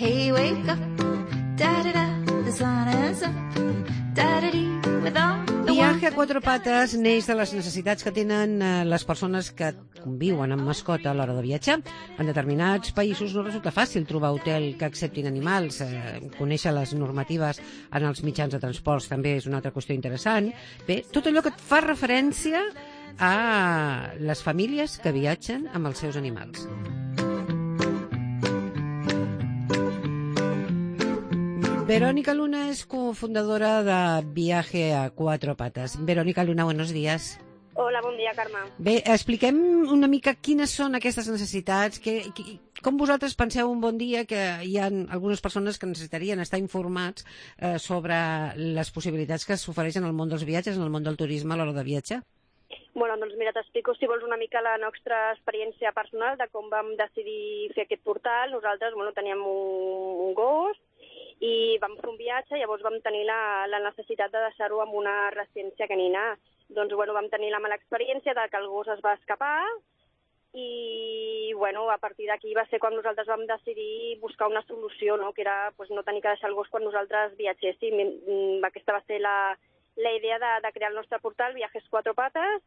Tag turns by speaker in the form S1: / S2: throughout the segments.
S1: Hey, wake up, da-da-da, the sun is up, da-da-dee, with all the
S2: Viaje a quatre pates neix de les necessitats que tenen les persones que conviuen amb mascota a l'hora de viatjar. En determinats països no resulta fàcil trobar hotel que acceptin animals. Conèixer les normatives en els mitjans de transports també és una altra qüestió interessant. Bé, tot allò que et fa referència a les famílies que viatgen amb els seus animals. Verónica Luna es cofundadora de Viaje a Cuatro Patas. Verónica Luna, buenos días.
S3: Hola, bon dia, Carme.
S2: Bé, expliquem una mica quines són aquestes necessitats, com vosaltres penseu un bon dia que hi ha algunes persones que necessitarien estar informats sobre les possibilitats que s'ofereixen al món dels viatges, en el món del turisme a l'hora de viatjar?
S3: Bueno, doncs mira, t'explico, si vols, una mica la nostra experiència personal de com vam decidir fer aquest portal. Nosaltres, teníem un gos i vam fer un viatge, llavors vam tenir la necessitat de deixar-ho en una residència canina. Doncs, vam tenir la mala experiència de que el gos es va escapar i, a partir d'aquí va ser quan nosaltres vam decidir buscar una solució, no? Que era no tenir que deixar el gos quan nosaltres viatgéssim. Aquesta va ser la idea de crear el nostre portal, Viajes Cuatro Patas,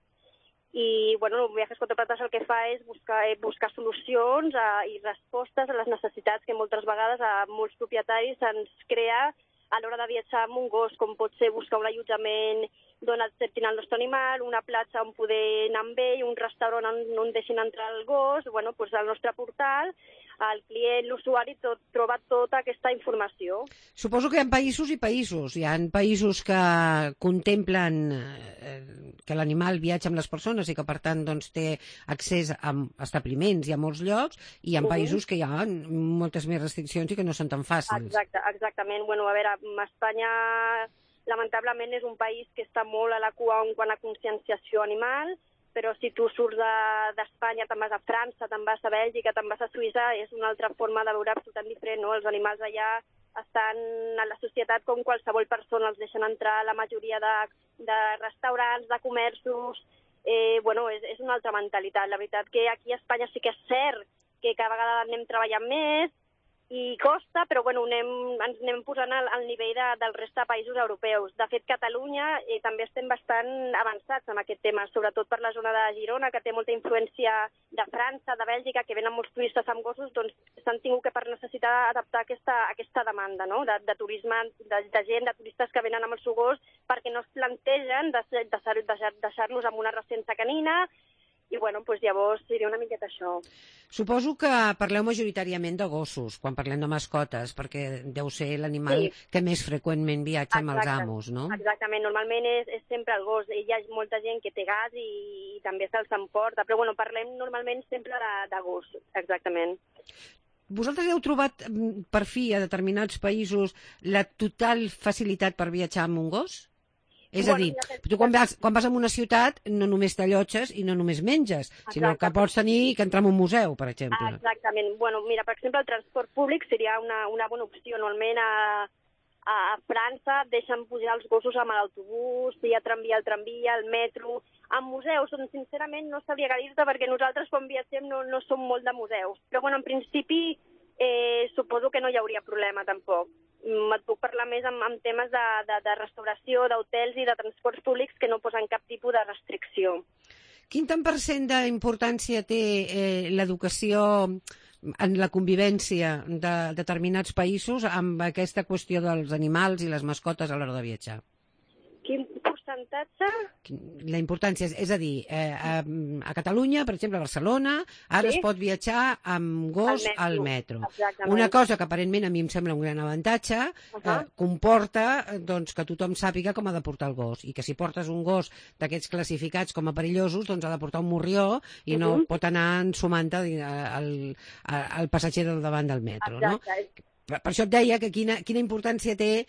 S3: i Viajes Cuatro Patas el que fa és buscar solucions i respostes a les necessitats que moltes vegades a molts propietaris ens crea a l'hora de viatjar amb un gos, com pot ser buscar un allotjament d'on acceptin el nostre animal, una platja on poder anar amb ell, un restaurant on deixin entrar el gos. Al nostre portal el client, l'usuari, troba tota aquesta informació.
S2: Suposo que hi ha països i països. Hi ha països que contemplen que l'animal viatja amb les persones i que, per tant, té accés a establiments i a molts llocs, i hi ha països que hi ha moltes més restriccions i que no són tan fàcils.
S3: Exactament. Espanya, lamentablement, és un país que està molt a la cua en quant a conscienciació animal, però si tu surts d'Espanya, te'n vas a França, te'n vas a Bèlgica, te'n vas a Suïssa, és una altra forma de veure absolutament diferent, no? Els animals allà estan a la societat com qualsevol persona, els deixen entrar a la majoria de restaurants, de comerços. És una altra mentalitat. La veritat que aquí a Espanya sí que és cert que cada vegada anem treballant més i costa, però ens anem posant al nivell del resta de països europeus. De fet, Catalunya també estem bastant avançats en aquest tema, sobretot per la zona de Girona, que té molta influència de França, de Bèlgica, que venen molts turistes amb gossos, doncs s'han tingut que per necessitar adaptar aquesta demanda, no? De turisme, de gent, de turistes que venen amb el seu gos, perquè no es plantegen deixar-los en una residència canina. I llavors seria una miqueta això.
S2: Suposo que parleu majoritàriament de gossos, quan parlem de mascotes, perquè deu ser l'animal que més freqüentment viatja amb els amos, no?
S3: Exactament, normalment és sempre el gos. Hi ha molta gent que té gas i també se'ls emporta, però parlem normalment sempre de gos, exactament.
S2: Vosaltres heu trobat, per fi, a determinats països, la total facilitat per viatjar amb un gos? És a dir, tu quan vas a una ciutat no només t'allotges i no només menges, sinó que pots tenir que entrar en un museu, per exemple.
S3: Exactament. Mira, per exemple, el transport públic seria una bona opció. Normalment a França deixen pujar els gossos amb l'autobús, hi ha el tramvia, el metro. En museus, sincerament, no sabria què dir-te, perquè nosaltres quan viatgem no som molt de museus. Però, en principi, suposo que no hi hauria problema, tampoc. Et puc parlar més amb temes de restauració, d'hotels i de transports públics que no posen cap tipus de restricció.
S2: Quin tant per cent d'importància té l'educació en la convivència de determinats països amb aquesta qüestió dels animals i les mascotes a l'hora de viatjar?
S3: Quin percentatge?
S2: La importància, és a dir, a Catalunya, per exemple, a Barcelona, ara es pot viatjar amb gos al metro. Una cosa que aparentment a mi em sembla un gran avantatge, comporta que tothom sàpiga com ha de portar el gos, i que si portes un gos d'aquests classificats com a perillosos, doncs ha de portar un morrió i no pot anar ensumant al passatger del davant del metro, no? Per això et deia que quina importància té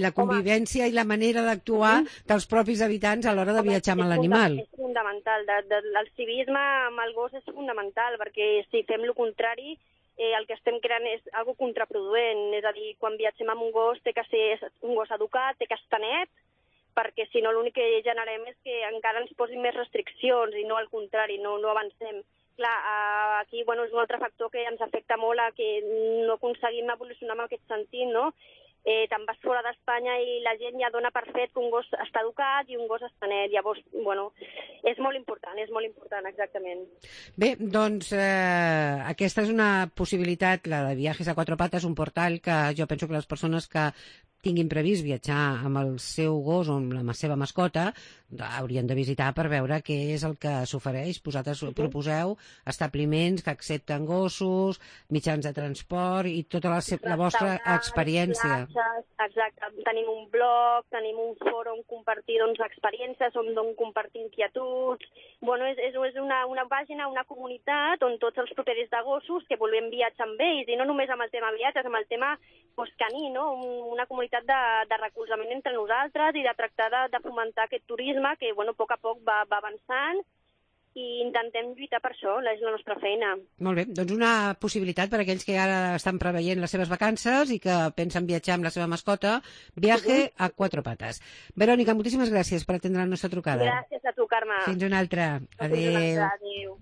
S2: la convivència i la manera d'actuar dels propis habitants a l'hora de viatjar amb l'animal.
S3: És fundamental. El civisme amb el gos és fundamental, perquè si fem el contrari, el que estem creant és algo contraproduent. És a dir, quan viatgem amb un gos té que ser un gos educat, té que estar net, perquè si no l'únic que generem és que encara ens posin més restriccions i no al contrari, no avancem. clar, aquí és un altre factor que ens afecta molt a que no aconseguim evolucionar en aquest sentit, no? Te'n vas fora d'Espanya i la gent ja dona per fet que un gos està educat i un gos està net. Llavors, és molt important, exactament.
S2: Bé, doncs aquesta és una possibilitat, la de Viajes a Cuatro Patas, un portal que jo penso que les persones que tinguin previst viatjar amb el seu gos o amb la seva mascota haurien de visitar per veure què és el que s'ofereix. Proposeu establiments que accepten gossos, mitjans de transport i tota la vostra experiència.
S3: Exacte. Tenim un blog, tenim un fòrum on compartir experiències, on compartir inquietuds. És una pàgina, una comunitat on tots els propietaris de gossos que volem viatjar amb ells, i no només amb el tema viatges, amb el tema caní, no? Una comunitat de recolzament entre nosaltres i de tractar de fomentar aquest turisme que, a poc va avançant, i intentem lluitar per això, és la nostra feina.
S2: Molt bé, doncs una possibilitat per a aquells que ara estan preveient les seves vacances i que pensen viatjar amb la seva mascota, Viaje a Cuatro Patas. Verònica, moltíssimes gràcies per atendre la nostra trucada.
S3: Gràcies a tu, Carme.
S2: Fins una altra. Adéu.
S3: Adéu.